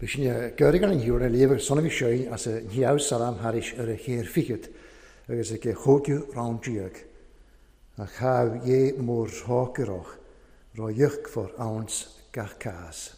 B'shin gurgan an hiúr a léamh son a bhí seo as a ndheabh salam thairis ar a chéir fichead agus ag a chóigiú rann déag. Ach tha dhé mór thrácaireach rá íocfar anns gach cás.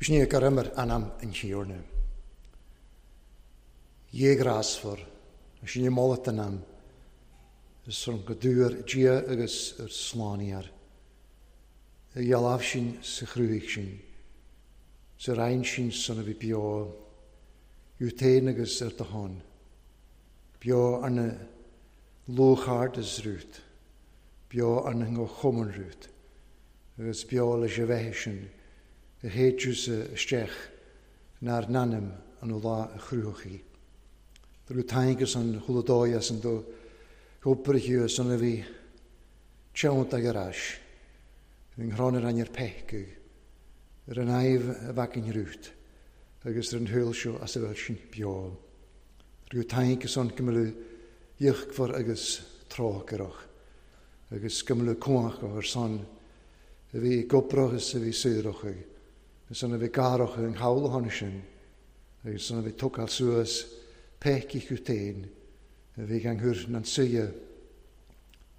B'shin é gur imir anam an Thiarna. Dhé ghrásmhar, sin é moladh don am, ar son go dúr Dia agus ar slánaíar. A dhealbh sin sa chrúigh sin, sa roinn sin san a bhí beo, iú féin agus ar do shon, beo arna lúcháir is rút, beo arna ngó-chumann rút, agus beo leis a bheith sin a théiteas isteach nár n-ainm an lá a chruthaigh. Drú taingus an chuladói as an do oibrighiú san a bhí teannt ag ar ais, an ghrán ar ainir peicigh, ar an aimh a bhacainn rút, agus ar an thuil seo as a bhfuil sin beo. Drú taingus an go mbeadh íochmhar agus trócaireach, agus go mbeadh cumhach ar son a bhí gobrach is a bhí saorach, agus san a bhí garach an chabhlachán sin, agus san a bhí tógáil suas peicigh chu féin, a bhí gan chur na suidhe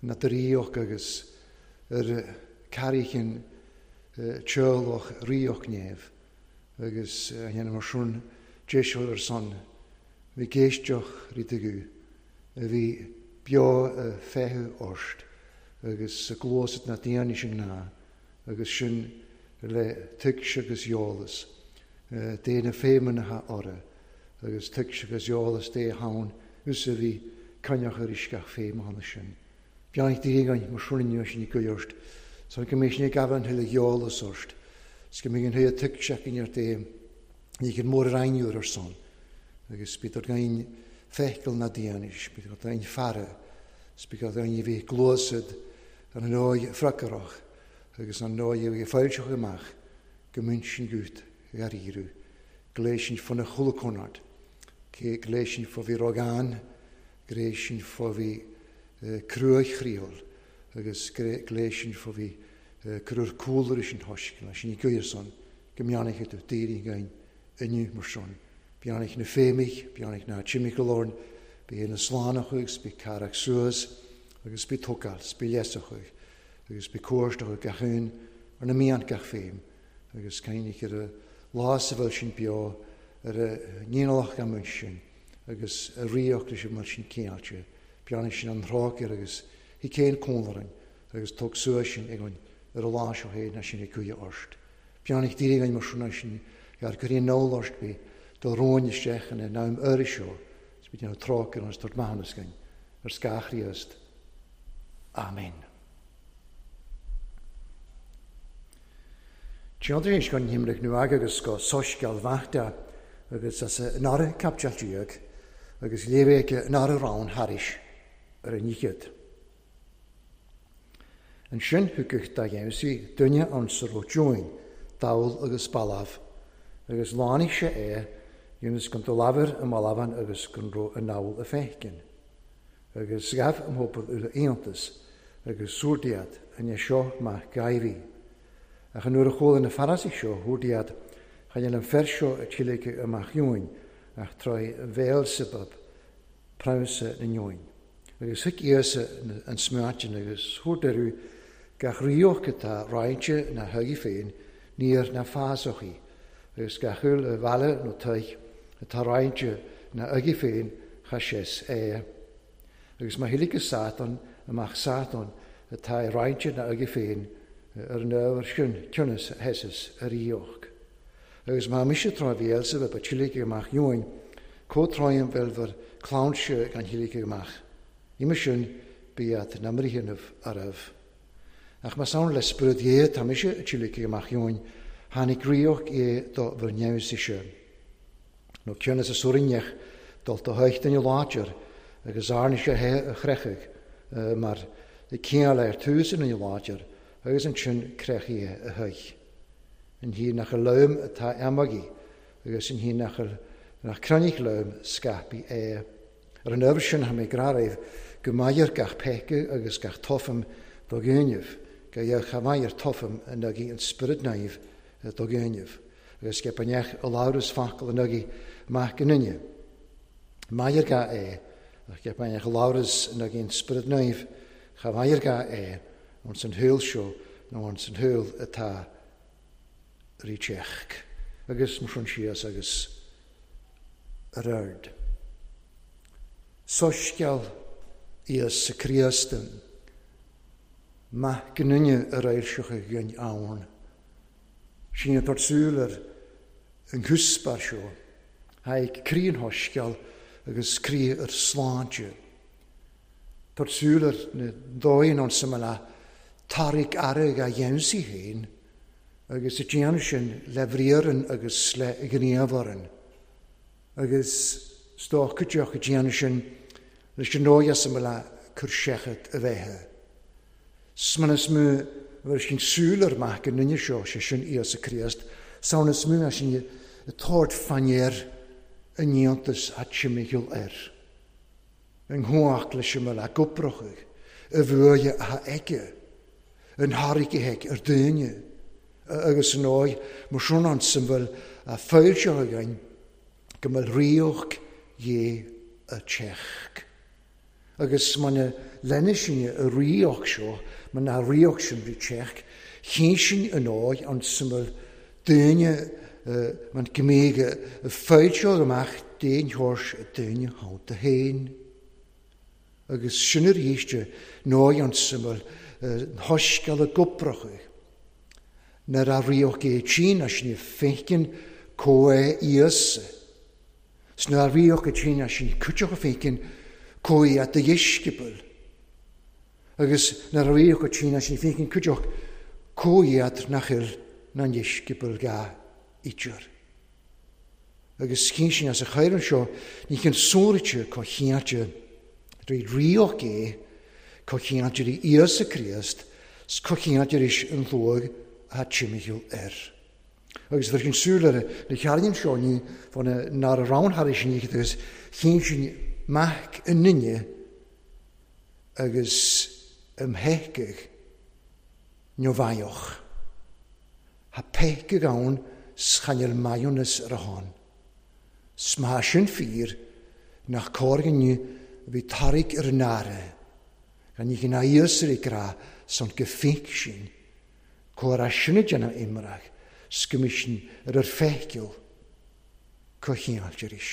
na dríoch agus ar carraichin teolach ríoch néamh, agus a dhéanamh mar sin déiseal ar son, bhí géisteach rídagú, a bhí beo feitheamh orst, agus sa gcluasat na daoine sin ná, agus sin le tuigse agus eolas, dé na féimeanna orra, agus tuigse agus eolas dé haun, us a bhí coinneach ar uisceach féimeanna sin. Beannacht Dé againn mar sin inniu sin i gcuid orst, san go mbeidh sin ag gabháil an thuile eolas orst, 'S go mbeidh an thaobh tuigseach in ar Dé, ní gur mór ar aon uair ar son, agus bíodh againn feithicil ná dianais, bíodh againn faire, 's bíodh againn a bhí gluasad ar an ndóigh freagrach agus an ndóigh a bhí foilseach amach go mbíonn sin gut dhairíriú, gléis sin fá na chuala cé gléis sin fá bhí rogán, gléis sin fá bhí cruaich chriol, agus gléis sin fá bhí curur cúlra sin thoisc, sin i gcuirson, go mbeannaithe tú daoine againn inniu mar sin. Beannaithe na féimigh, beannaithe na timicalorn, bí na slánach agus bí carach suas, agus bí tógáil, bí leasach agus bí cuairteach gach aon ar na mian gach féim, agus cainneach ar a lá sa bhfuil sin beo ar a ndíonalach gan sin, agus a ríocht leis an sin céáilte, beannaithe sin an trácair agus hí céin cónlaran, agus tóg suas sin ag an ar a lá seo féin na sin ag cuia orst. Beannaithe daoine againn mar sin sin gar cuirí an orst bí do róin isteach ina nám uirthi seo, 's bí déanamh trácair agus tabhairt maithiúnas againn ar scáth Chríost. Amen. Tiontar éis gan himrich nu agus go soisceal bhachta agus as an ára capteal díag agus léibhéice an ára rán thairis ar an níchead. An sin thugadh dá dhéansaí duine an sa raibh join, dall agus balbh, agus lánaigh sé é ionas go do labhair an mbalbhan agus go raibh an nall a fécin. Agus ghabh an pobal uile aontas agus súrdiad an é seo maith gaibhí. Ach an nuair a chuala na Farasaigh seo thuirdiad, chaith an fer seo a tílige amach dúinn, ach tráth Bhéalsebub, prabhsa na ndúinn. Agus thuig Íosa an smaointe agus thuair gach ríocht atá roinnte na thugaí féin, níor na fásachaí, agus gach uile a bhaile nó toigh atá roinnte na thugaí féin cha sé é. Agus má thuiligh Satan amach Satan atá roinnte na thugaí féin ar an ábhar sin cionnas hesis a ríocht. Agus má mise tráth Bhéalsebub a tílige amach dúinn, comhtráim bhfuil cláinte gan thuiligh amach. Ime sin bíad na mríhanamh arbh. Ach más ann le spiorad Dhé tá mise a tílige amach dúinn, tháinig ríocht é do bhur neamhsaoise. Nó cionnas a suarinneach dul do thuicht in láidir agus arna sé he a chrechaidh mar céal ar tús in láidir agus ansin crechaí a thuich. An hí nach a leim atá amagaí agus an hí nach nach cranich leim scaipí é. Ar an ábhar sin tha mé gráraibh go maidir gach peca agus gach tofam do ghéinimh, go dheich cha maidir tofam an agaí an spiorad naomh do ghéinimh, agus go b'neach a labhras focal an agaí mac an duine. Maidir ga é, ach go b'neach a labhras an agaí an spiorad naomh, cha maidir ga é ons an thuil seo nó ons an thuil atá ríteach. Agus mar sin síos agus ar aird. Soisceal Íosa Críost maith gnuine ar éirseach a ghin ann. Sin an súil ar an gcuspa seo, haigh croí an shoisceal agus croí ar sláinte. Tá súil ar na dóigh an samala tarraig airg a dhéansaí féin agus a déanamh sin le bhriathran agus le gníomharan. Agus stócadeach a déanamh sin leis an dóigh samala cur seachad a bheithe. Smanas mú bhur sin súil ar maith go nduine seo sé sin Íosa Críost, samhnas mú sin a tabhairt fanéir a ndéantas a timigheall air. An thuach leis an mbealach goprochaidh, a bhuaidhe a aige, an thairge aige ar duine, agus an dóigh mar sin an san bhfuil a foilseach againn go mbeadh ríocht Dhé a teach. Agus mar lena sin a ríocht seo, mar na ríocht sin bhí teach, chinn sin an dóigh an san bhfuil duine man gmíge a foilseach amach d'aon thuairs duine thanta féin. Agus sin arís ndóigh an san bhfuil thoisceal a goprochaidh. Nuair a ríocht é tín as sin fécin comh Íosa. 'S nuair a ríocht é tín as sin cuiteach a fécin comh a do dheisceabail. Agus nuair a ríocht é tín as sin fécin cuiteach comh iad nach fhuil. na ndheisceabail ga idir. Agus chinn sin as a chaireann seo, ní chinn sóraite co chinnte rí ríoch é, co chinnte rí Íosa Críost, 's co chinnte ris an luag a tsimmichiúil air. Agus tar sin súil ar na chearnaíonn seo ní fá na nár a rann thar sin agus chinn sin mac an nine agus ymhecig neomhaioch. Ha pecig ann schanel maionas ar a hon. Sma sin fír nach cóir bhí tarig ar an áre, gan ní gná íosar i gra son gefink sin, cóir a sinna déanamh imreach, sgwmisyn ar yr ffecil cochiallt is.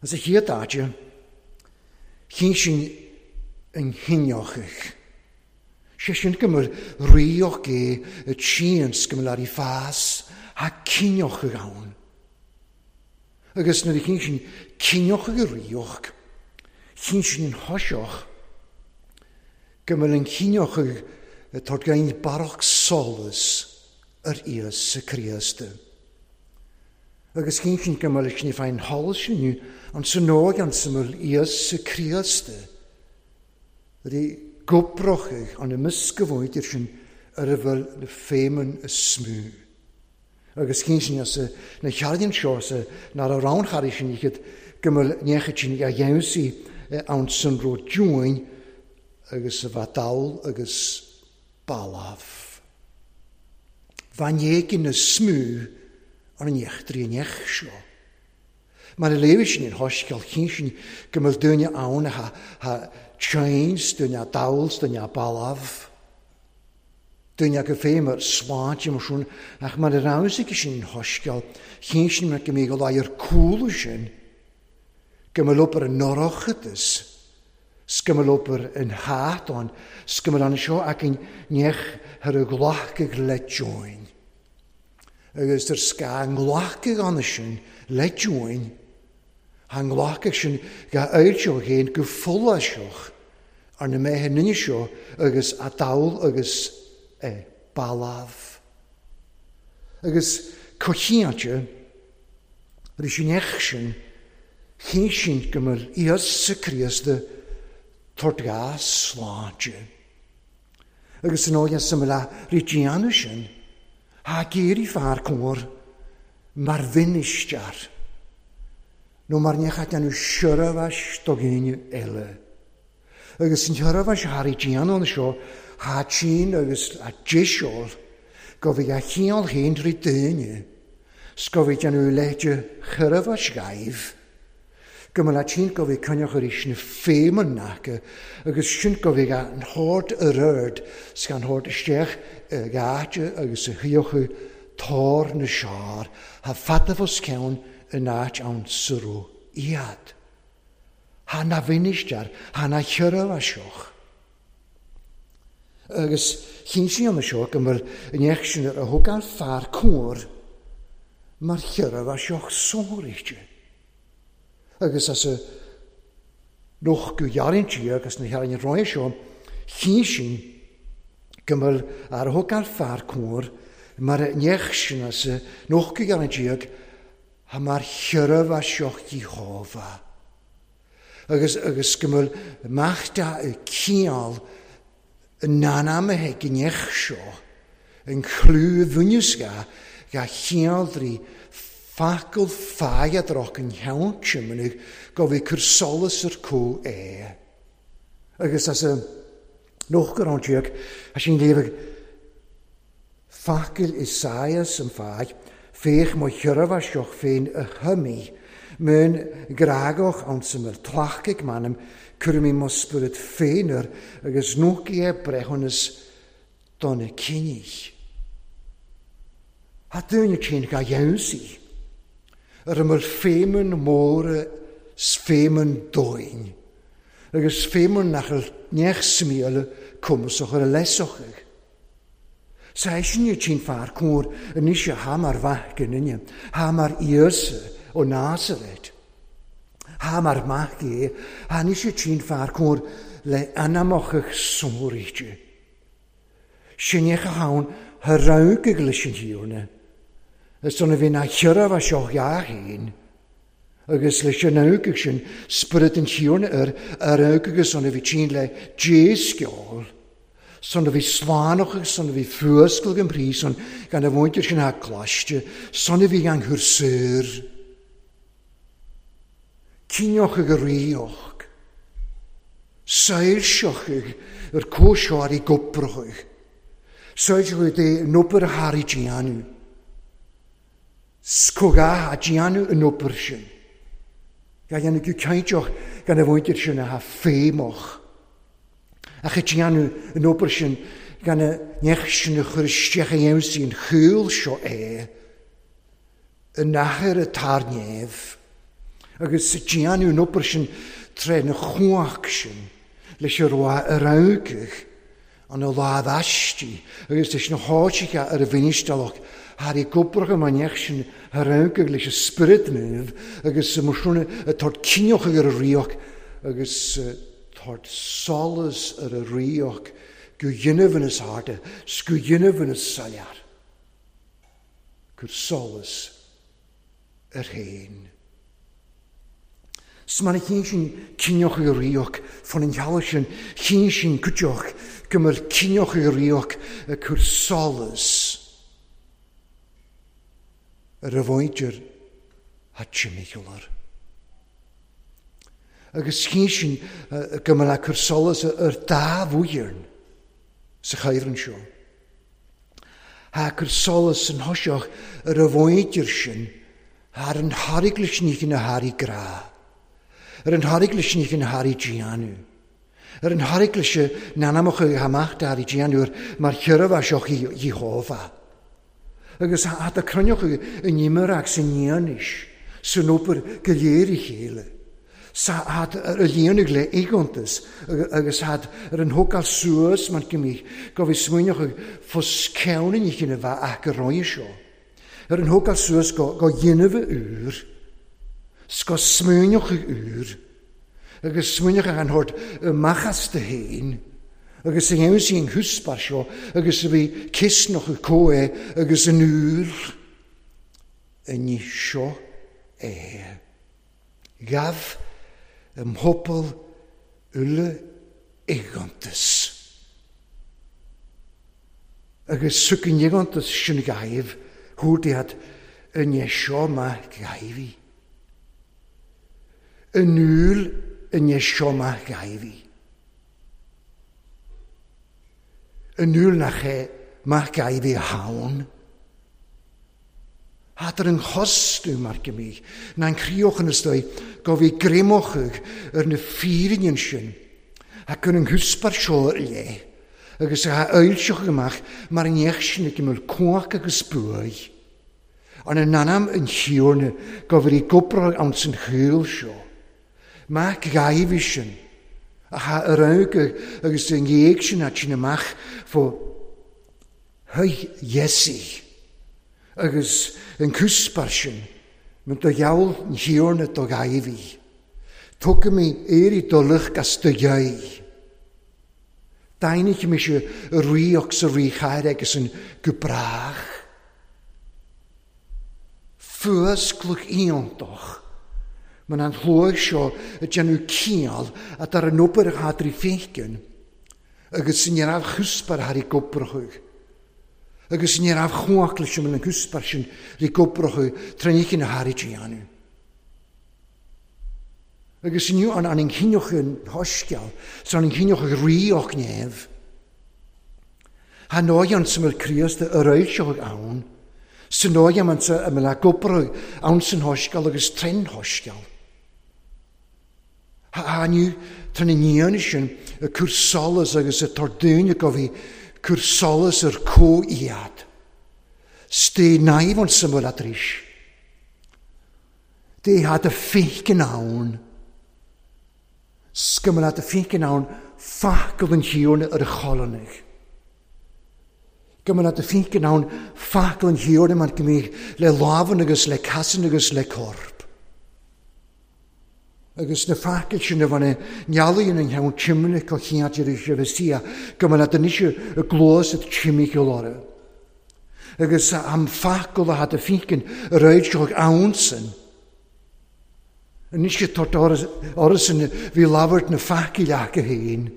As a chéad áite, chinn sin yn hiniochach. Sé sin go mbeadh ríoch é y tsíons go mbeadh ar ei fás ha ciniochach ann. Agus nuair a chinn sin ciniochach y ríoch, chinn sin yn hosioch, go mbeadh yn ciniochach y tord gain barach solas ar Íosa Críost. Agus chinn sin go mbeadh sin féin sholas sin an san óg an sa mbeadh Íosa Críost. Rí goprochach an ymysgafwyd sin ar a bhfuil na féimeann y smú. Agus chinn sin as na cheardaíonn seo sa nar a rann sin iad go mbeadh neachad sin a dhéansaí ann san ró dúin agus a bheith dall agus balaf. Van éigin na smú an neachtraí an neach seo. Mar a léirigh sin an hoisceal chinn sin go mbeadh duine ann ha chains, duine dall, duine balaf. Duine go féin mar sláinte mar sin, ach mar a raibh sin an hoisceal chinn sin mar go mbeadh go láir cúla sin, go mbeadh obair an norochadas, go mbeadh obair an hátán, go mbeadh an seo ach an neach thar a ghlacadh le join. Agus tar sca nglacadh anna sin le join, ha nglacadh sin ga oilseoch héin go foláiseoch ar na méithe nine seo agus a dall agus balaf. Agus cochiante, ris sin ech sin, chinn sin go mbeadh Íosa Críost tort ga sláinte. Agus san óige sa mbeadh rí déanamh sin, ha géirí fear cóir mar bhinistear, nó mar neach a déanamh seirbheis do dhaoine eile. Agus an tseirbheis thar í déanamh an seo, ha tsin agus a déiseol, go bhí a chiall féin trí daoine, 's go bhí déanamh leite sheirbheis gaibh, go mbeadh tsin go bhí coinneach arís na féimeann acu, agus sin go bhí an hord ar ard, 's gan hord isteach i gcáite agus a shuíochadh tor na seár, ha fadafos ceann in áit ann surú iad. Ha na bhinistear, ha na sheirbheiseach. Agus chinn sí an seo go mbeadh an neach sin ar a thug an fear cóir mar sheirbheiseach sóiríte. Agus as a noch go ghearraintí agus na hearrainn roimhe seo, chinn sin go mbeadh ar a thug an fear cóir mar a neach sin as a noch go ghearraintí ha mar sheirbheiseach Iehova. Agus go mbeadh machta y ciall yn nanamaithe gneach seo, yn chlú bhunúsga ga chiall drí facail fáiadroch yn cheann simnach go bhí cur solas ar có é. Agus as a noch go raibh siad, a sin léamh facail Isaias an fáidh, féach mo sheirbheiseach féin a thumaí, mún grágach ann sa mbeadh tlachcaigh m'anam, cuirim mo spiorad féin air agus nócaí é breithiúnas do na cinní. Ha dúine tsin ga dhéansaí, ar a mbeadh féimeann móra 's féimeann dóin, agus féimeann nach bhfuil neach smíola cumasach ar a leasochaigh. Sa sin i tsin fear cóir anois a ha mar mhaith go nine, ha mar Íosa ó Nazaret. Ha mar maith é, ha anois i tsin fear cóir le anamachach sóiríte. Sinneach a thann tha roghaidh leis an Thiarna, is dona bhí ná chiorramh as seo dhá fhéin, agus leis an roghaidh sin Spiorad an Thiarna air, a roghaidh agus dona bhí tinn le désceol, san a bhí slánach agus san a bhí fuascail den phríosún gan a mhuintir sin a gcloiste, san a bhí gan chur saor. Cinneochaidh a ríocht. Soilseochaidh ar comhsheoirí goprachaidh. Soilseochaidh dé an obair a tharraidh déanamh. 'S comhghá a déanamh an obair sin. Ga dhéanamh go cinnteach gan a mhuintir sin a feidhmeach. Ach a déanamh an obair sin gan a neach sin a chur isteach a dhéanamh an chúl seo é. An Athair atá ar neamh, agus déanadh an obair sin tré na chumhacht sin leis an raibh a roghaidh an a lámh aisti agus leis na háiteacha ar a bhfinistealach thar i gcobracha mar neach sin a roghaidh leis an Spiorad Naomh agus mar sin a tabhairt cinneadh ar a ríocht agus tabhairt solas ar a ríocht go dhéanamh ina sárda 's go dhéanamh ina soiléir. Cuir solas air féin. 'S mar a chinn sin cinneadh a ríocht fan an teallach sin, chinn sin cuideoidh go mbeadh cinneadh a ríocht ag cur solas ar a mhuintir a timcheall. Agus chinn sin go mbeadh ag cur solas ar dá mhuireann sa chaibhreann seo. Thá cur solas san thoiseach ar a mhuintir sin thar an thairglis ní na hairí grá, ar an thairglis ní na hairí déanamh, ar an thairglis n-anamacha amach d'airí déanamh mar chiorramh seo Iehova. Agus thá do cruinneochaidh in imreac san ndéanais, san obair go léir a chéile. Thad ar a líonadh le éigeantas agus thad ar an thógáil suas mar go mbíodh go bhí smaoineochaidh fos ceann an oíche a bheith aca roimhe seo. Ar an thógáil suas go go dhéanamh úr 's go smaoineochaidh úr agus smaoineochaidh an shórt amach as do fhéin agus a dhéanamh sí an chuspair seo agus a bhí ciosnochaidh comh é agus an úr an ní seo é. Ghabh a mphobal uile éigeantas. Agus thug an éigeantas sin ghaibh thabhairt iad i ndiaidh seo maith ghaibh í. In iúl i ndiaidh seo maith ghaibh í. In iúl nach é maith ghaibh í a thann. Thart ar an chosnú mar go mbíodh ná an chríoch ina stoigh go bhí greamóchadh ar na fírinne sin a cur an chuspair seo ar leith agus a fhoilseochadh amach mar an neach sin ag imeall cumhacht agus buaidh. An in ainm an Thiarna go bhfuil gobráil ann san shaol seo. Mac Ghaibh sin a tha ar aghaidh agus i ndiaidh sin a tsin amach fo Thuig Iesaí agus an cuspair sin, mar do gheall an Thiarna do Dháiví, Tógfaidh mé éirí do lucht as do dheigh. Daingnigh mise a ríocht sa ríchathair aigesan go brách. Fuascladh iontach mar an shluagh seo ag déanamh ciall a dar an obair a chadrí féiceann. Agus ní raibh chuspair thar i gcobrachaidh. Agus ní raibh chumhacht leis an gcuspair sin ri gcobrachaidh tráth na thar i déanamh. Agus inniu an an chinneoch an shoisceal, 's an chinneoch ríoch neamh. Tha ndóigh an sa mbeadh Críost a réilseoidh ann, sa ndóigh an sa mbeadh gobraidh ann san shoisceal agus trin shoisceal. Tha tá na nianna sin ag cur solas agus ag tabhairt daoine go bhí cur solas ar comh-iad. Stay naimh an sa mbeadh arís. Dé had a féiceann ann. 'S go mbeadh a féiceann ann facal an Thiarna ar a cholanaigh. Go mbeadh a féiceann ann facal an Thiarna mar go mbíodh le lámhan agus le casan agus le corp. Agus na facail sin a bhain nealaíon an cheann timne co chiantir is a bhí go mba na nise a gluas at timmicheall orthu. Agus am facail a had a finkin a raid seo ansan. Anois tort orasan bhí labhairt na facail acu féin.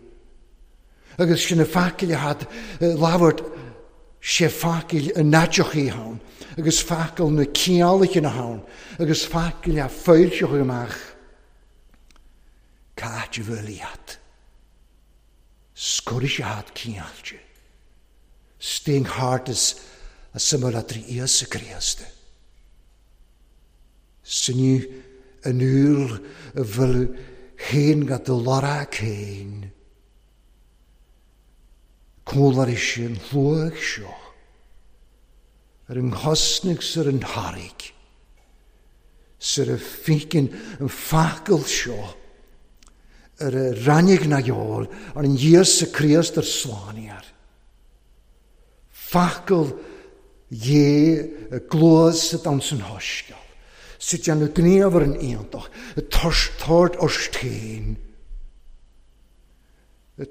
Agus sin na facail a had labhairt sé facail a naiteochaí ann, agus facail na cineálacha na ann, agus facail a foilseochaí amach. Cáit a bhfuil iad. Scoris a had cineáilte. Staying hard is a similar trí Íosa Críost. Sinne an úr a bhfuil féin go do lorg féin. Cólar sin shluaigh seo ar an chosnaigh sar an thairg, sar a ficin an facail seo ar a rannig na gheol ar an Íosa Críost ar slániar. Facail dhé a gluas a dans an hosceal. Sa déanamh gníomh ar an aontach, a tort orstéin.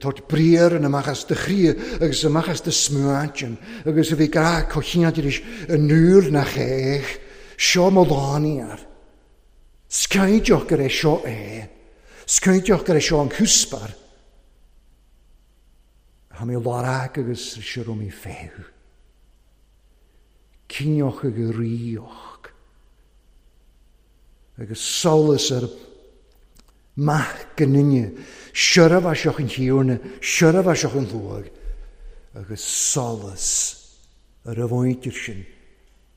Tort briar yn amach as de chrí agus amach as de smuaintin, agus a bhí gra cochiantiris yn nŵr na chech, seo mo lániar. Scaidioch gur é seo é. Scaidioch gur é seo an cúspar. Ha mé lárag agus seo mi féhu. Cinioch ag ríoch. Agus solas ar maith gninne, siorfa seoch yn hiwrna, siorfa seoch yn llwag, agus solas ar y fwyntir sin,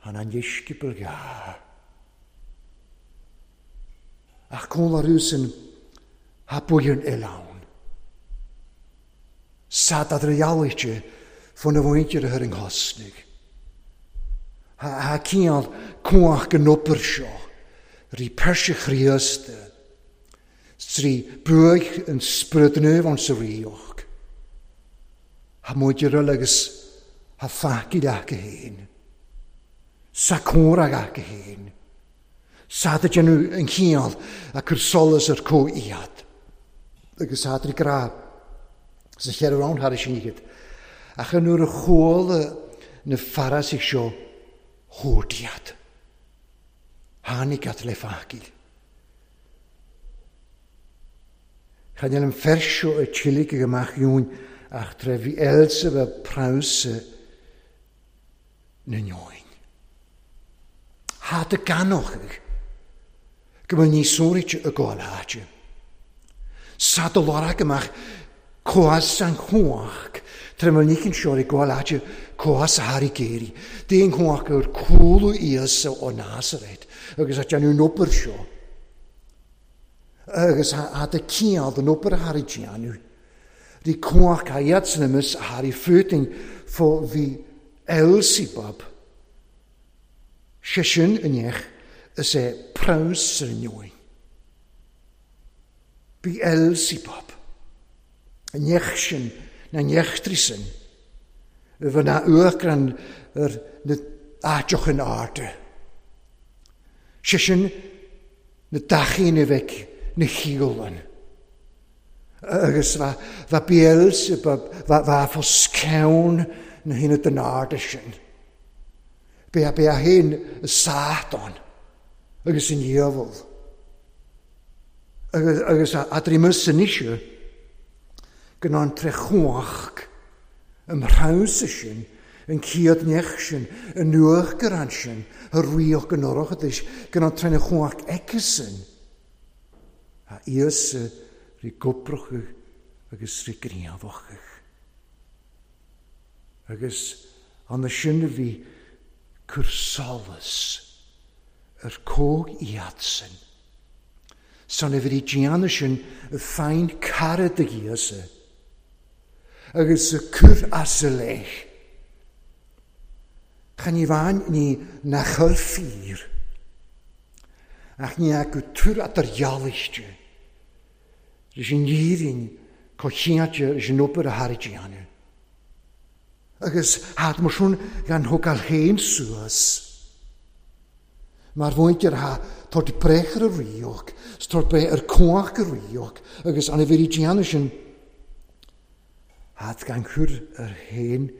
han an ddisgybl ga. Ach cwl ar rwsyn, ha bwy'n elawn. Sad ad reality fan y fwyntir yr yng nghosnig. Ha, ha cial cwach gynwbr sio, ri persych chriaste, trí buaigh an sprudnú an sa ríoch. Ha muidir agus ha facaid acu féin. Sa córa acu féin. Sa da déanamh an chiall a cur solas ar có iad. Agus sa trí gra sa cheithre rang thar sin iad. Ach an nuair a chuala na farasaigh seo thabhairt iad. Tháinig iad le facail. Chan an fersio y chilig ag amach iwn ach tre fi elsa fe prawsa na neoin. Ha dy ganoch ag go bhfuil níos sóirit y gol háte. Sa dy lorag amach coas an chóach tre bhfuil nícin seo i gol háte coas a thar i géirí. Déan chóach gur cúlú Íosa ó Nazaret agus a déanamh obair seo. Agus a dy ciall den obair a thar i déanamh. Rí cóach a iad san imis a thar i fúting fó bhí Elsibab. Sé sin inech is é praws ar neoin. Bí Elsibab. Inech sin na nechtri sin. Fy na uachran ar na áiteoch yn arde. Sé sin na dachín a bheith na chiúlan. Agus va Beelzebub, va foscewn na hyn den arde sin. Be a be a hyn y Satan agus yn diafol. Agus a drimys yn eisiau gyda'n trechwach ym mhraws y sin, yn ciad nech sin, yn nŵch gyran sin, y rwioch gynorwch ydych, gyda'n trechwach ecysyn. A Íosa rí gwbrwch agus rí gníomhach. Agus an na sin a bhí cur solas ar cóg iad sin. San a bhí déanamh sin y féin cara de Íosa. Agus y cur as y lech. Chan i fan ni na chur ffyr. Ach ní acu túr at ar jaalichte. Rys yn nírin cochiate rys yn obair a thar i déanamh. Agus had mar sin gan thógáil féin suas. Mar mhuintir ha tabhairt breith ar a ríocht, 's tabhairt breith ar cumhacht a ríocht, agus an a bhí déanamh sin, hat gan cur ar féin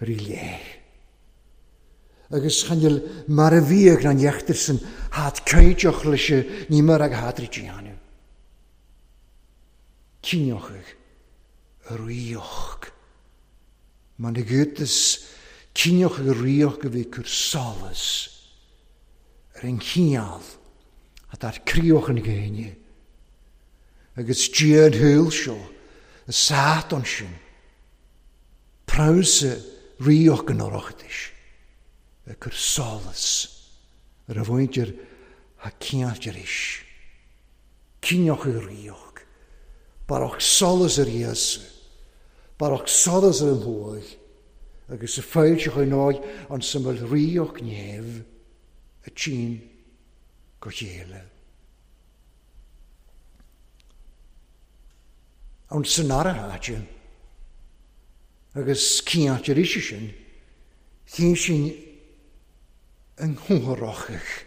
rí leith. Agus chan fhuil mar a bhíodh na neachtar san hat cainteach leis ní mar ag hat rí déanamh. Cinneochaidh a ríocht. Mar na gcutas cinneochaidh a ríocht a bhí cur solas ar an chineál atá ar críoch an ghéine. Agus Dia an shaoil seo, a sát ansin, prabhsa ríocht an Oireachtais ag cur solas ar a mhuintir a cinnte arís. Cinneochaidh ríocht, barrach solas ar Íosa, barrach solas ar an thuaidh, agus a foilseochaidh ndóigh an samhail ríocht neamh a tchíonn go chéile. Ann san ara háite, agus cinnte arís sin, chinn sin an chomhthráthach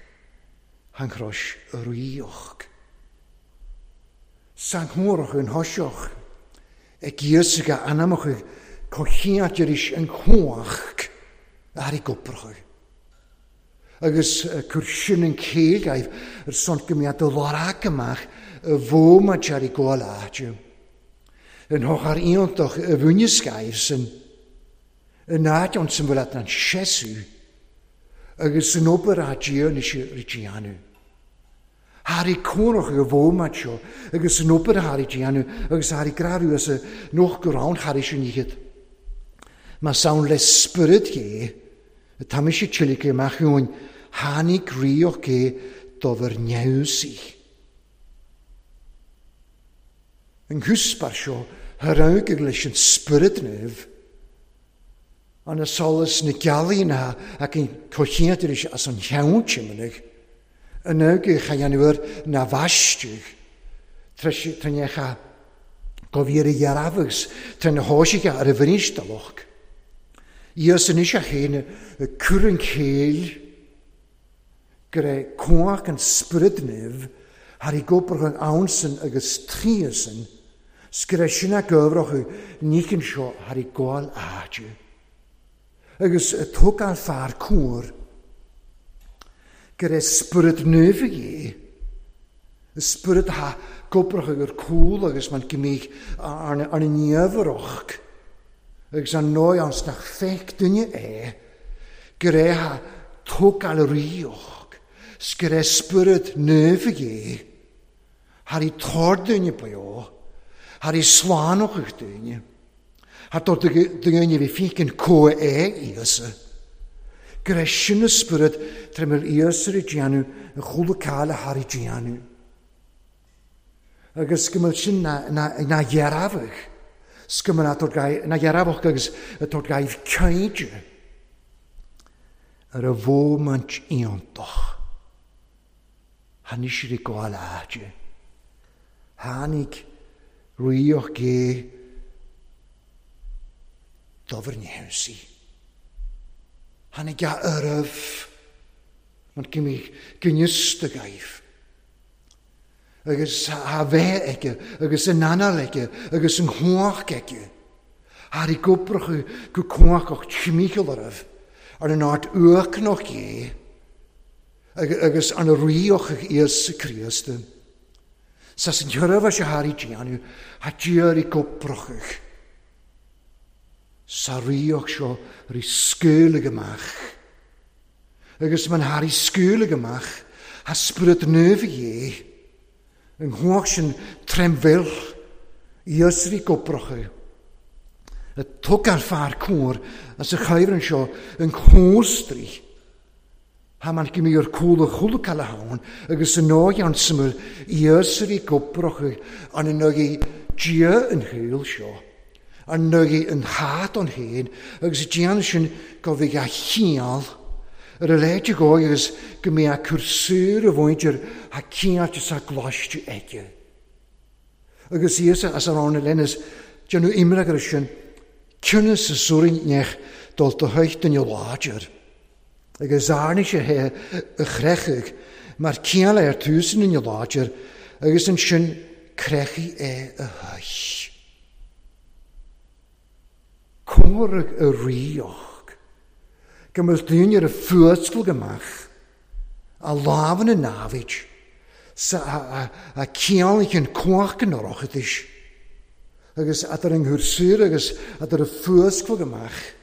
an chrois ríocht. San chomhthráthach an thoiseach ag Íosa go anamach comhchinnte arís an chumhacht a thairg oibreacha. Agus cur sin an chéill agaibh ar son go mbeadh do lorg amach i bhfómait ar i gcóil áite. An shochar iontach a bhaineas agaibh san in áit ann san bhfuil an seasamh agus san obair a déanann sé ri déanamh. Thar i cónach i bhfómait seo agus san obair a thar i déanamh agus thar i gcrarú as a noch go raibh thar i sin iad. Más ann le spiorad Dé, Tá mise tuillte amach uainn, tháinig ríocht Dé do bhur neamhsaí. An cúspar seo a raghadh leis an Spiorad Naomh, an solas na gealaí ná ach an comhchinnte leis as an cheann timnigh, an aghaidh a dhéanamh air ná bhaisteadh, trína go bhí ar a dheartháir agus trína thoisigh ar a bhrinstalach. Íosa anois a chéin ag cur an chéill go raibh cumhacht an Spioraid Naoimh thar i gcopair an ansan agus tríosan, 's go raibh sin á gcomhrac níchin seo thar i gcáil áite. Agus tógáil fear cóir go raibh Spiorad Naomh aige, Spiorad atá gobrach agur cúl agus man go mbíodh arna neamhaireacht agus an ndóigh ann 's nach feic duine é, go raibh a tógáil ríocht 's go raibh Spiorad Naomh aige, thar i tor duine beo, thar i slánóchadh duine. Thar do dhaoine a bhí fícin comha é Íosa. Go raibh sin a spiorad tar mil Íosa ag déanamh an chúla cáil a thar ag déanamh. Agus go mbeadh sin na dhearfadh, 's go mbeadh na dhearfadh agus a tabhairt gaibh cainte ar a mhóimint iontach. Tháinig siad ag gabháil áite. Tháinig ríocht Dé dobhar neamhsaí. Tháinig a oraibh mar go mbíodh gníosta agaibh. Agus a bheith aige agus an anáil aige agus an chumhacht aige. Thar i gcobracha go cumhachtach timcheall oraibh ar an áit uachnoc é. Agus an ríocht Íosa Críost. Sa san sheirbhís a tháinig déanamh, tha Dia ri gobrachadh. Sa ríocht seo ri scaoileadh amach. Agus man tha ri scaoileadh amach, tha Spiorad Naomh Dhé, an chumhacht sin trem bhil, Íosa ri gobrachadh. A tug ar fear cóir as a chaibhreann seo an chóstrí. Tha man go mbíodh cúla chúlacála ann agus an ndóigh ann suimiúil iasairí gobrach an ndóigh Dia an shaol seo, an ndóigh an chat ann féin agus déanamh sin go bhfidh a chiall ar a leithéid de dhóigh agus go mbeadh a cur saor a mhuintir a ciall is a gcoláiste aige. Agus Íosa as an áin lenas déanamh imreach ar sin, cionnas is suaimhneach dul do theach duine láidir. Agus arna sé é a chreicheadh mar ciall é ar tús an duine láidir agus ansin creachfaidh é a thois. Comhartha a ríocht go mbeadh daoine ar a fuascailt amach a lámha na namhaid sa a ciallaíonn cumhacht an Oireachtais agus a d'fhorraing thur saor agus a d'fhor a fuascailt amach.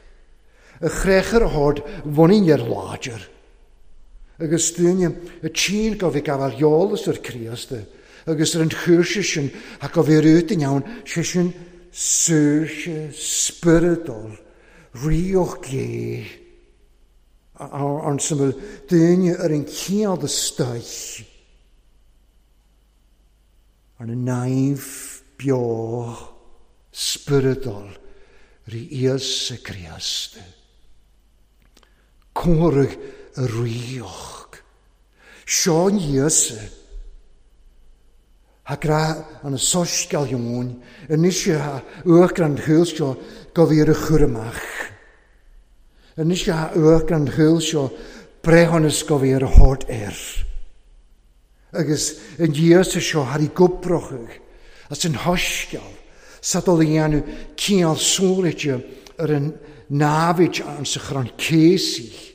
A chreach ar a hord bhunaigh ar láidir, agus daoine a tchíonn go bhí gabháil eolas ar Chríost agus ar an chúrsa sin ach go bhí rút in ann, sé sin saoirse spioradal, ríocht Dé, ann sa bhfuil daoine ar an chiall de stoich, arna naomh beo spioradal rí Íosa Críost. Comhartha a ríocht. Seo an Íosa. Thá grá an soiscéal Eoin anois a uachtar an chúil seo go bhí ar a chur amach. Anois a uachtar an chúil seo breithiúnas go bhí ar a thabhairt air. Agus an Íosa seo thar i gcoipreochaidh as an shoiscéal sa dul a dhéanamh cineál sóiréite ar an namhaid an sa chrann céasaidh.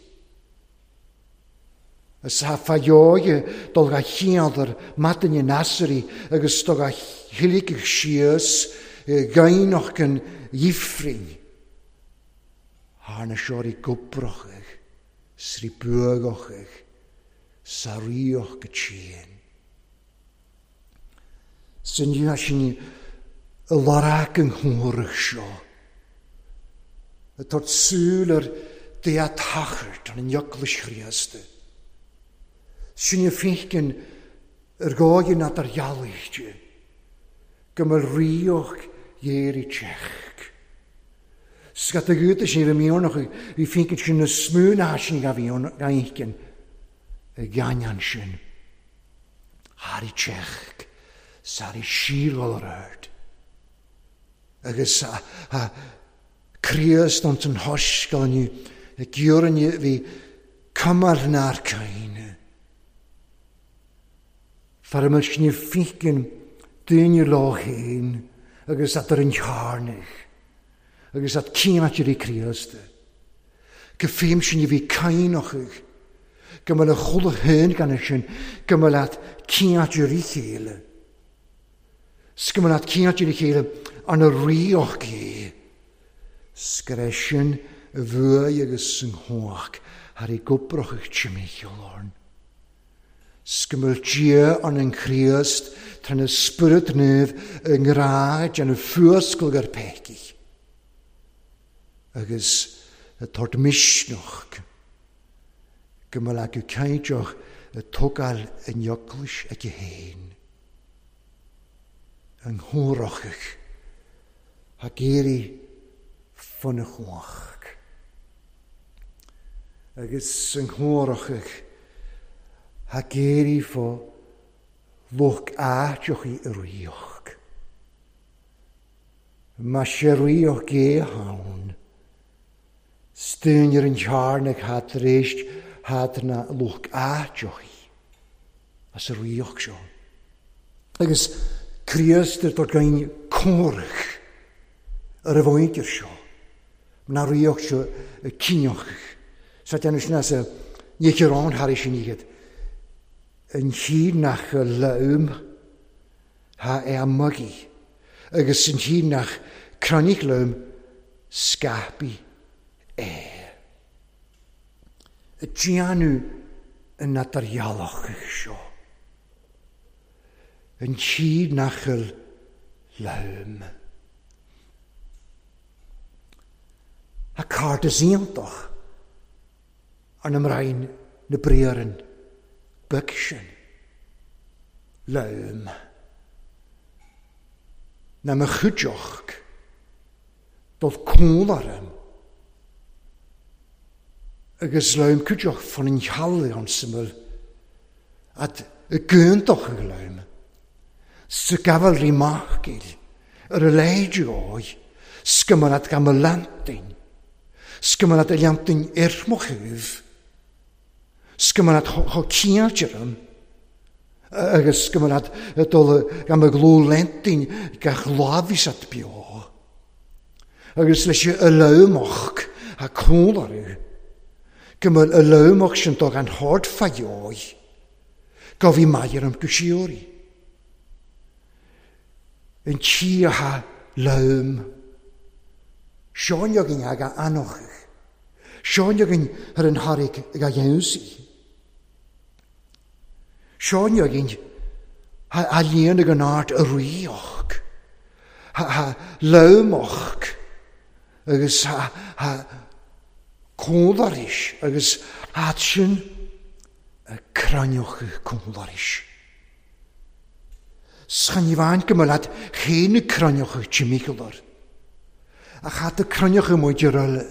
Is tá fadheoidhe dul dha chiandar maidin in Assurí agus do dha thilligeadh síos gaibhneach an ifrinn. Thar na seo rí gcoipreochaidh 's rí buadhochaidh. Sa ríocht go tréan. San inniu sin i lorg an chomhaireamh seo, ag tabhairt súil ar Dia Tachairt an Eaglais Chríosta. Sin a feiceann ar dhóigh ná dar ghealaigh di, go mbeadh ríocht Dhéirí teach. Scata ghiota sin a bhí miornach bhí fícid sin na smú ná sin a bhí ann gainceann i gcainneán sin. Thar i teach sar i síorghol ar ard. Agus a Críost ins an shoiscéal inniu ag iarraidh bhí cuma nár caoineadh. Fear a mbeadh sin fícin daoine leo féin agus at ar an chearnaigh agus at cianáitirí Críosta. Go fím sin a bhí caoineachaidh, go mbeadh a chodladh féin gan sin, go mbeadh leat cianáitirí chéile. 'S go mbeadh leat cianáitirí chéile arna ríocht é. 'S go raibh sin i bhfuath agus i nghnách thar i gcoipreachaidh timcheall orn. 'S go mbeadh Dia ann in Chríost trína Spiorad Naomh i ngrá ag déanamh fuascailt ar pecaigh agus ag tabhairt misneach go mbeadh acu cainteach ag tógáil a n-eaglais aici féin. An chomhrachaidh ag iarraidh fonna chumhacht. Agus an chomhrachaidh ag iarraidh fo lucht áiteachaí i ríocht. Má sé ríocht gé ann, staoin ar an chearnach thá tar éis thad na lucht áiteachaí as a ríocht seo. Agus Críost ar dtor gain comhrac ar a mhuintir seo. Mná ríocht seo cinneadh sa déanamh sin as a ní chiarán thar sin iad. An chíd nach leum ha é a mugaí, agus an chíd nach crainnich leum scaipí é. Déanamh an atardhealach seo. An chíd nach leum. A cártas iontach an mbrain na briaran beag sin. Leum. Na mo chuideoch dul cúl orm. Agus leum cuideoch fan an cheallaigh an syml at y gyntoch y leum. Sa gafel rí machgil ar y leidio o'i sgymarat gan y lantin. Sgymarat y lantin irmoch hyf. 'S go mbeadh chomh cinnte orm agus go mbeadh ag dul gan mo ghlúin leintín gach lá bhí siad beo. Agus leis an lamhach a cúl orthu, go mbeadh an lamhach sin dul gan shórt fá dheoidh, go bhí maith orm go síoraí. An tí atá lom. Seo againn ag a anochadh. Seo againn ar an tharraig ag a dheimhsí. Seo againn a líon ag an art a ríoch, a lomach agus a cúlaris agus at sin a cranioch cúlaris. 'S chan ní bhain go mba leat féin na cruinneacha timcheall Ach thá do cruinneacha muid ar eile.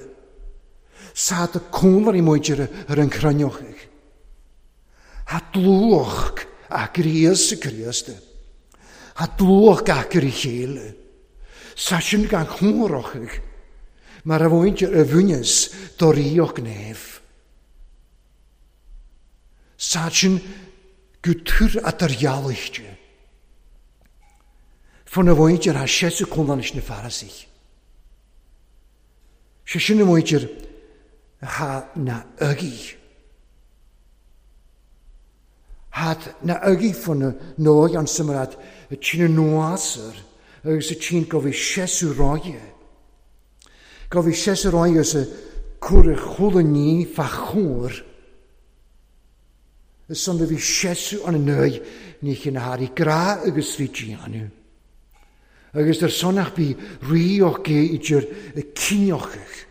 'S thá do cúnlarí muid ar an chruinneachaidh. Thá dlúthach a Ghríosa Críosta. Thá dlúthach gach ar a chéile. 'S thá sin gan chúnrachaidh mar a bhaintear a bhuinneas do ríocht naomh. 'S thá sin go tur eadardhealaithe. Fá na mhuintir thá seasamh conlán leis na Farasaigh. Sé sin a mhuintir thá na agaidh. Thá na agaidh fá na ndóigh an suim a tine nuasar agus a tine go bhí seasamh ráidhe. Go bhí seasamh ráidhe agus a cur a chuala ní fá chóir. Is ann a bhí seasamh an ndóigh ní chinn a thairigh grá agus rí déanamh. Agus ar son ach bhí rí och gé idir a cinneochadh.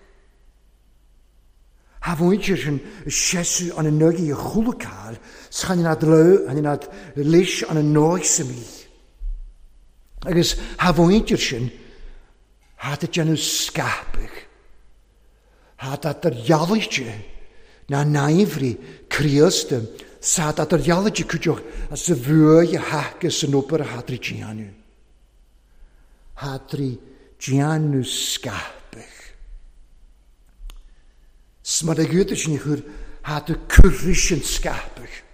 Tha mhuintir sin seasamh an ndóigh a chuala 's chan iad leo, chan iad leis an ndóigh sa mí. Agus tha mhuintir sin tha ag déanamh scaipeadh. Thad eadardhealaithe ná naimhrí Críosta, 's thad eadardhealaithe cuideoch as a bhuaidh a thaca san obair a thad rí déanamh. Thad rí déanamh scaipeadh. 'S mar a ghiúdar sin a chur thad a curtha sin scaipeadh.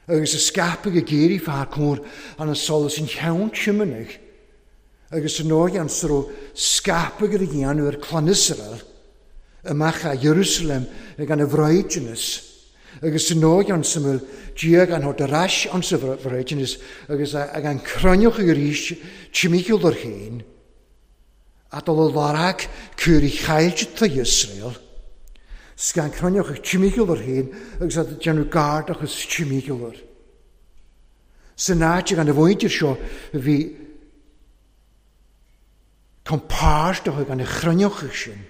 Agus a scaipeadh ag iarraidh fear cóir an solas an cheann tiománaigh agus san áit an sa raibh scaipeadh ar a dhéanamh ar clann Iosrael amach a Iarúsailéim ag an bhraighdeanas agus san áit an sa bhfuil Dia gan thabhairt ar ais an sa bhraighdeanas agus ag an cruinneochaidh arís timcheall air féin a dul a lorg cúraí chaillte Iosrael 's gan cruinneochaidh timcheall air féin agus a déanamh gardachas timcheall air. San áit ag an mhuintir seo a bhí compáirt ag an chruinneochaidh sin.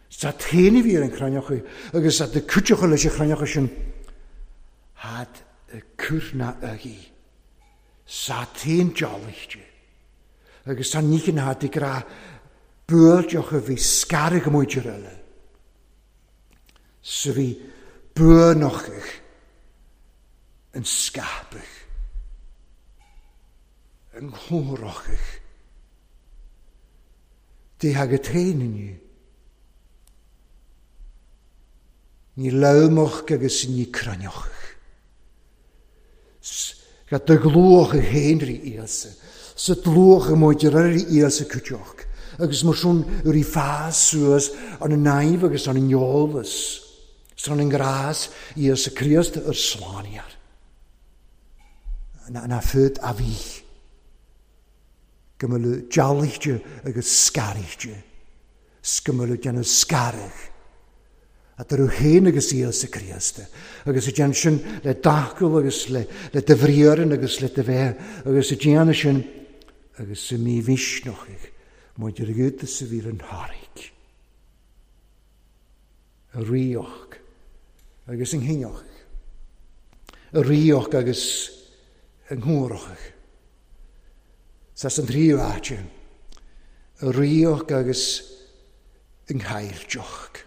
Sa t-aon a bhí ar an chruinneochaidh agus at na cúiteacha leis an chruinneochaidh sin had a cur na aghaidh. Sa t-aon dealaithe. Agus tá níche na had ag rá buailteach a bhí scaradh muintir eile. Sa bhí buanochaidh an scaipeadh, an chomhrochaidh. Dé agat féin inniu. Ní lamhach agus ní cruinneochaidh. Ga do ghlúach a féin rí Íosa, sa dlúach a muid ar rí Íosa cuideoch, agus mar sin rí fás suas an naimh agus an eolas, san an grás Íosa Críost ar slániar. Na fud a bhí. Go mbeadh dealaithe agus scaraithe, 's go mbeadh déanamh scaradh eatarthu féin agus Íosa Críost, agus a déanamh sin le d'fhocal agus le do bhriathra agus le do bheith, agus a déanamh sin agus a mímhisneachaidh maidir le Iúdas a bhí ar an tharraig, a ríocht agus an chinneochaidh, a ríocht agus an chomhrachaidh. Sa an tríú áit, a ríocht agus an chaillteach.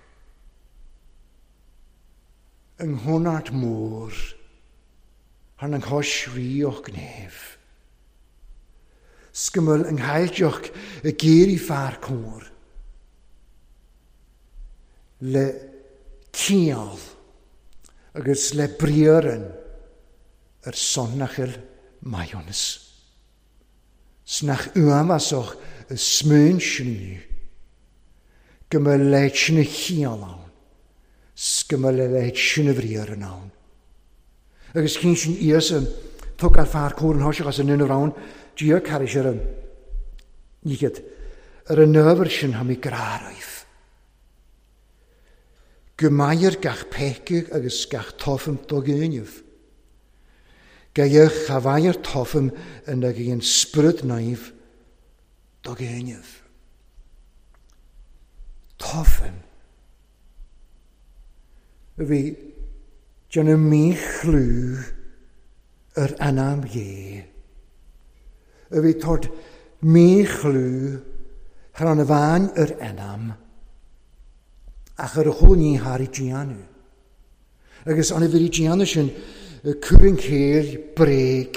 An chonairt mór thar an chois ríocht gnéimh. 'S go bhfuil an chaillteach ag iarraidh fear cóir le ciall. agus le briathran ar son nach fhuil maithiúnas. 'S nach uafásach an smaoint sin inniu, go mbeadh a leithéid sin de chiall ann, 's go mbeadh a leithéid sin de bhriathran ann. Agus chinn sin Íosa, tógáil fear cóir an thoiseach as an ndúnamh ann, Dia carraig ar an ndíchead, ar an ábhar sin tha mi grá roimh. Go mair gach peaca agus gach tofann do ghéinimh. Geidheadh cha bhfaighear tofann ina ghéin Spiorad Naomh do ghéinimh. Tofann a bhí déanamh míchlú ar anam Dhé, a bhí tabhairt míchlú thar an bhean ar anam, ach ar a chúl ní thar déanamh. Agus an bhrí déanamh sin cur an chéill bréag,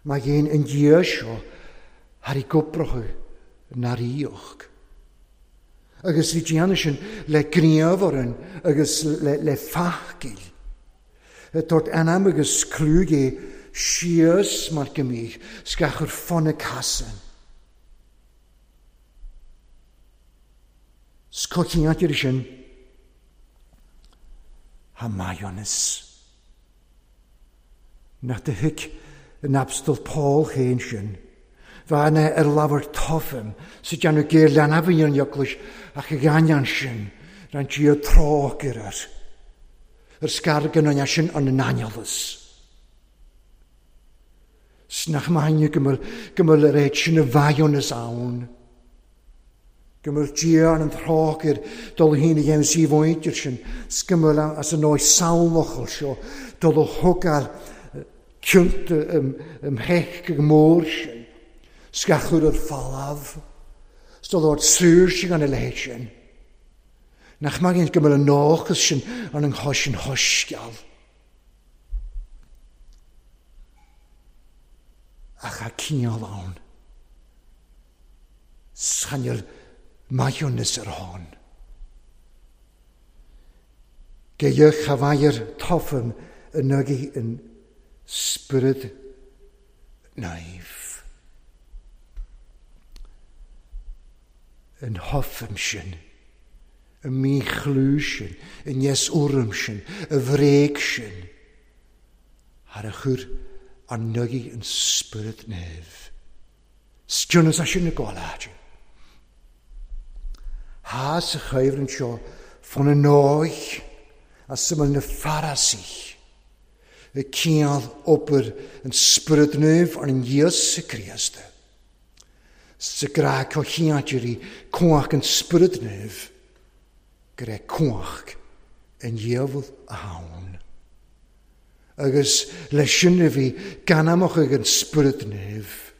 má dhéan an Dia seo thar i gcobracha na ríocht. Agus bhí déanamh sin le gníomh orainn agus le fathchill. Tabhairt anam agus clú Dé síos mar go mbíodh 's gach ar fud na casan. 'S coitianta air sin tá maithiúnas. Nach do thuig an Abstal Paul féin sin. Bhean é ar labhair tofann sa déanamh géar leanbh an eaglais ach ag ainneoin sin rinne Dia trócaire air. Ar scar go ndearna sin an n-aineolas. 'S nach maith go bhfuil go bhfuil a réit sin a mhaithiúnas ann. Go bhfuil Dia an trócaire dul féin a dhéanamh sí mhuintir sin 's go bhfuil as an ndóigh samhlachal seo dul a thógáil cionta um theich go mór sin 's gach chur ar falamh 's dul ort saoirse gan a leithéid sin. Nach maith go bhfuil an dóchas sin an an chois an shoisceal. Ach tá ciall ann. 'S chan fhuil maithiúnas ar shon. Geidheadh cha bhfaighir tofann in aghaidh an Spioraid Naoimh. An thofann sin, an míchlú sin, an neas-urraim sin, an bhréag sin, thar a chur an aghaidh an Spioraid Naoimh. 'S cionn is é sin ag gabháil fhad. Thá sa choimhlint seo fán a ndóigh as a bhfuil na Farasaigh ag cineál obair an Spioraid Naoimh ar an Íosa Críost. Sa grá coimhthíoch cumhacht an Spioraid Naoimh go raibh cumhacht an diabhail ann. Agus leis sin a bhí gan amach ag an Spiorad Naomh,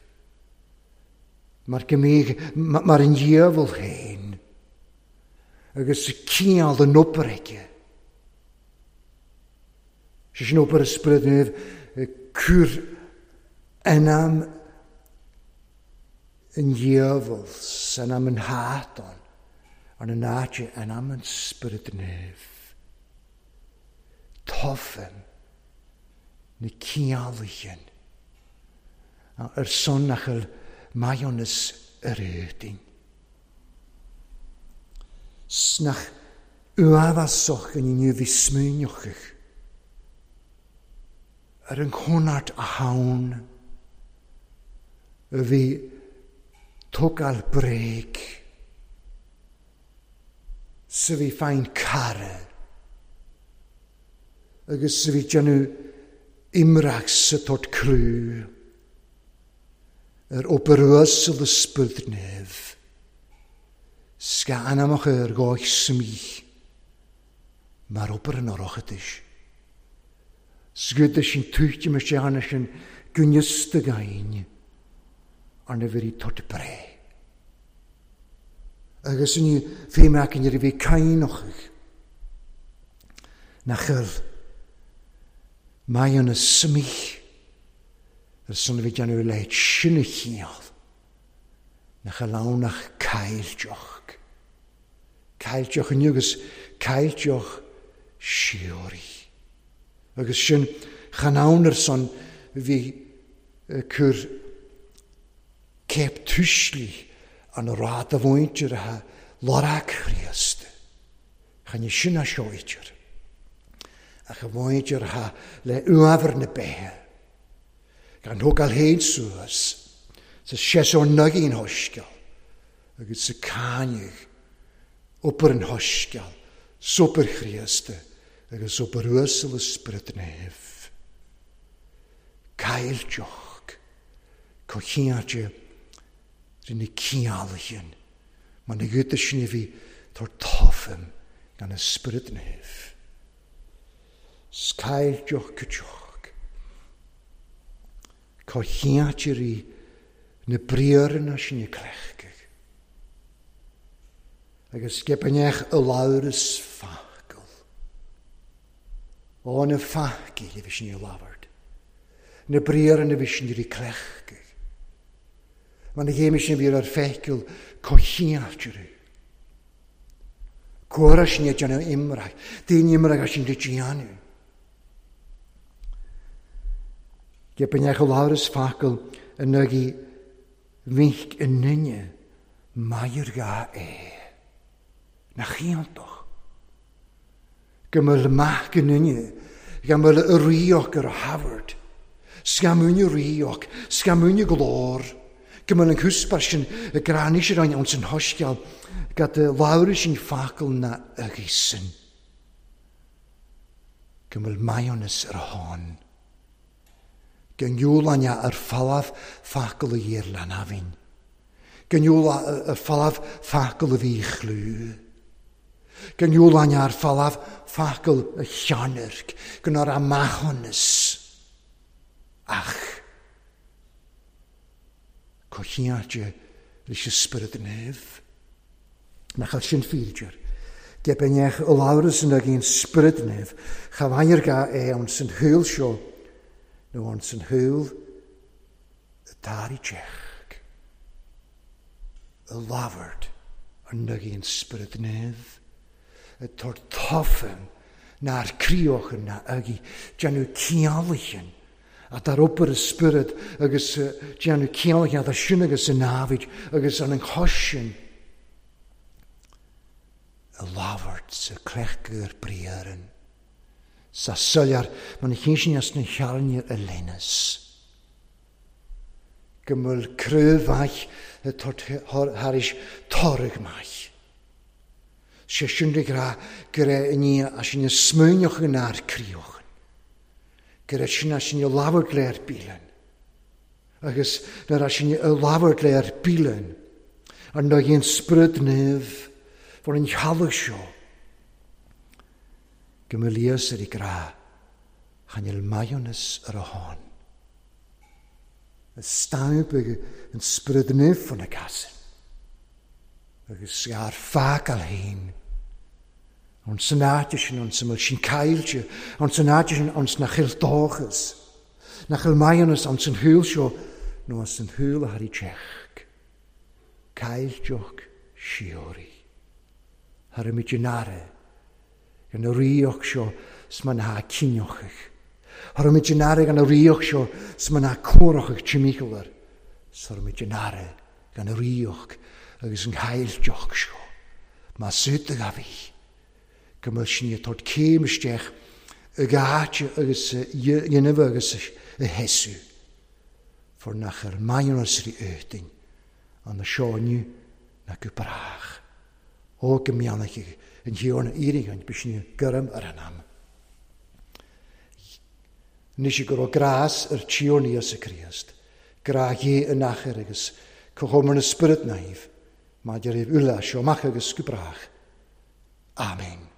mar go mbíodh mar an diabhal féin, agus cineál den obair aige. Sé sin obair an Spioraid Naoimh, cur anam an diabhail 's anam an tSátain ar na n-áite anam an Spioraid Naoimh. Tofann na ciallaigheann ar son nach bhfuil maithiúnas ar éadain. 'S nach uafásach an inniu bhí smaoineochadh ar an chonairt a thann a bhí tógáil bréag. 's a bhí féin cara agus a bhí déanamh imreach sa tort clú ar obair uasal a Sprid Naomh 's ga anamacha ar dhóigh smith mar obair an Oireachtais. 'S go sin tuitim isteach arna sin gneasta gainn arna bheirí tort breith. Agus ní bhí mé acu nuair a bhí cainneochaidh nach bhfuil maidhm na smith ar son a bhí déanamh a leithéid sin a chiall, nach bhfuil ann ach caillteach. Caillteach inniu agus caillteach síoraí. Agus sin, chan ann ar son bhí cur céip tuislí an rad a mhuintir atá lorg Chríost. Chan é sin a seoidtear, ach a mhuintir atá le uabhar na beithe, gan thógáil féin suas sa séasúr naigín shoiscéal agus sa cáineadh obair an shoiscéil, sobair Chríosta agus obair uasal a Spioraid Naoimh. Caillteach, coitianta rí na ciallaichean, mar na ghiota sin a bhí tar tofaim gan a Spiorad Naomh. 'S caillteach coiteach, coitianta rí na briathranna sin a cleachtadh, agus geibineach a labhras focal. Ó na facail a bhí sin a labhairt, na briathranna a bhí sin rí cleachtadh. Mar na chéime sin a bhí ar feiceáil coitianta rí. Cuara sin ag déanamh imreach, daoine imreacha sin le déanamh. Geibineach a labhras focal in aghaidh mhic i nduine, mairg é. Nach iontach go mbeadh mac i nduine, go mbeadh a ríoch ar a thabhairt, scamuine ríoch, scamuine glór, go mbeadh an cúspar sin i gcrann is arainn ann san shoiscéal, gad labhradh sin focal na aghaidh sin, go mbeadh maithiúnas ar a shon. Go ngiúlainn ar falamh focal a dhíor leanamhain. Go ngiúlainn ar falamh focal a bhí chlú. Go ngiúlainn ar falamh focal a cheannairc, go nár a maithiúnas. Ach coitianta leis an Spiorad Naomh. Nach bhfuil sin féidir. Geibinneach a labhras in aghaidh an Spioraid Naomh, cha bhfaighear ga é ann san shaol seo nó ann san shaol atá i dteach. A labhairt in aghaidh an Spioraid Naomh, ag tabhairt tofaim nár críochan ná aghaidh, déanamh ciallachan atá ar obair an Spioraid agus déanamh ciallachan atá sin agus an námhaid agus an chois sin. A labhairt sa cleachtadh ar briathran, sa soiléir mar na cinn sin as na healaíona a leanas. Go bhfuil craobh mhaith ag tabhairt thairis toradh maith. Sé sin le rá go raibh i ndiaidh as sin a smaoineochadh an fhear críochan. Go raibh sin as sin a labhairt le ar bialann. Agus nuair as sin a labhairt le ar bialann, ar ndóigh an Spiorad Naomh for an theallach seo, go mbeadh Lios ar a grá, chan fhuil maithiúnas ar a shon. A stampa an Spiorad Naomh for na casain. Agus gar fágáil féin. Ann san áit sin, ann sa mbeadh sin caillte, ann san áit sin, ann sna chill dóchas. Nach bhfuil maithiúnas ann san shaol seo nó as an shaol a thar teach. Caillteach síoraí. Thairmid in aire gan a ríocht seo 's mar ná cinneochaidh. Thairmid in aire gan a ríocht seo 's mar ná cóireochaidh timcheall air. Thairmid in aire gan a ríocht agus an chaillteach seo. Más ait a bhí. Go mbeadh sin ag tabhairt céim isteach ag áit agus a dhéanamh agus a sheasamh, for nach ar maithiúnas rí Éadaoin an na seo inniu ná go brách. Ó go mbeannaigh an Thiarna iarraidh b'shin gairm ar an am. Anois go raibh grás ar Tiarna Íosa Críost, grá Dhé in achar agus comhchomhar na Spiorad Naomh maidir le uile seo amach agus go brách. Amen.